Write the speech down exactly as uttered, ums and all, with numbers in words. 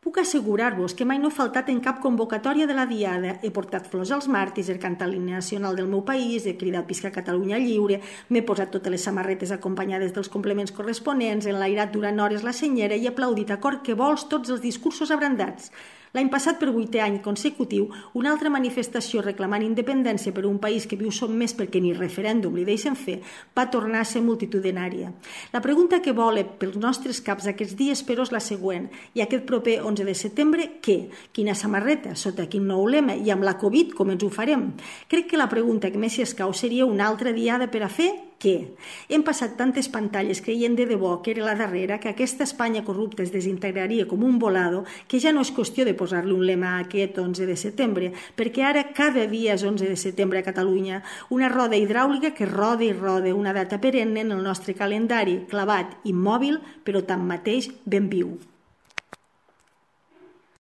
Puc assegurar-vos que mai no he faltat en cap convocatòria de la Diada. He portat flors als màrtirs, he cantat l'himne nacional del meu país, he cridat Visca Catalunya lliure, m'he posat totes les samarretes acompanyades dels complements corresponents, he enlairat durant hores la senyera i he aplaudit a cor que vols tots els discursos abrandats. L'any passat, per vuitè any consecutiu, una altra manifestació reclamant independència per un país que viu sotmès perquè ni referèndum li deixen fer, va tornar a ser multitudinària. La pregunta que vola pels nostres caps aquests dies, però, és la següent. I aquest proper onze de setembre, què? Quina samarreta? Sota quin nou lema? I amb la Covid, com ens ho farem? Crec que la pregunta que més s'hi escau seria una altra diada per a fer què? Hem passat tantes pantalles creient de debò que era la darrera que aquesta Espanya corrupta es desintegraria com un volado que ja no és qüestió de posar-li un lema a aquest onze de setembre, perquè ara cada dia és onze de setembre a Catalunya, una roda hidràulica que roda i roda, una data perenne en el nostre calendari, clavat, immòbil, però tanmateix ben viu.